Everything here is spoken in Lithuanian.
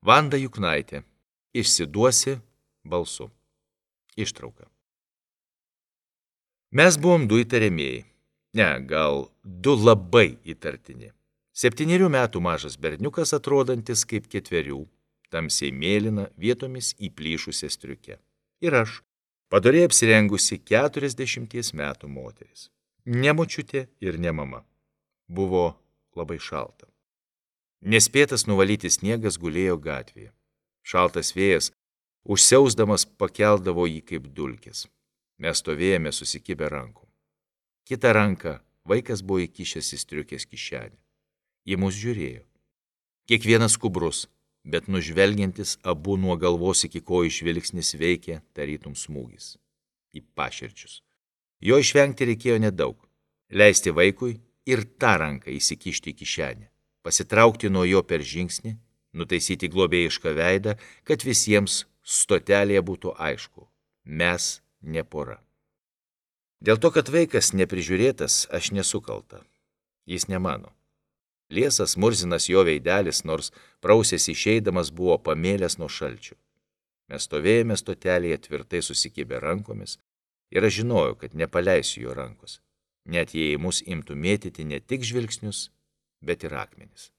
Vanda Juknaitė. Išsiduosi balsu. Ištrauka. Mes buvom du įtariamieji. Ne, gal du labai įtartini. 7 metų mažas berniukas, atrodantis kaip 4, tamsiai mėlyna, vietomis įplyšusia striuke. Ir aš, padoriai apsirengusi 40 metų moteris. Ne močiutė ir ne mama. Buvo labai šalta. Nespėtas nuvalyti sniegas gulėjo gatvėje. Šaltas vėjas, užsiausdamas, pakeldavo jį kaip dulkės. Mes stovėjome susikibę rankom. Kitą ranką vaikas buvo įkišęs į striukės kišenę. Į mus žiūrėjo. Kiekvienas skubrus, bet nužvelgiantis abu nuo galvos iki kojų žvilgsnis veikė tarytum smūgis. Į paširdžius. Jo išvengti reikėjo nedaug. Leisti vaikui ir tą ranką įsikišti į kišenę. Pasitraukti nuo jo per žingsnį, nutaisyti globėjišką veidą, kad visiems stotelėje būtų aišku. Mes ne pora. Dėl to, kad vaikas neprižiūrėtas, aš nesu kalta. Jis ne mano. Liesas murzinas jo veidelis, nors prausės išeidamas, buvo pamėlęs nuo šalčių. Mes stovėjome stotelėje tvirtai susikibę rankomis ir aš žinojau, kad nepaleisiu jo rankos, net jei mus imtų mėtyti ne tik žvilgsnius, bet ir akmenis.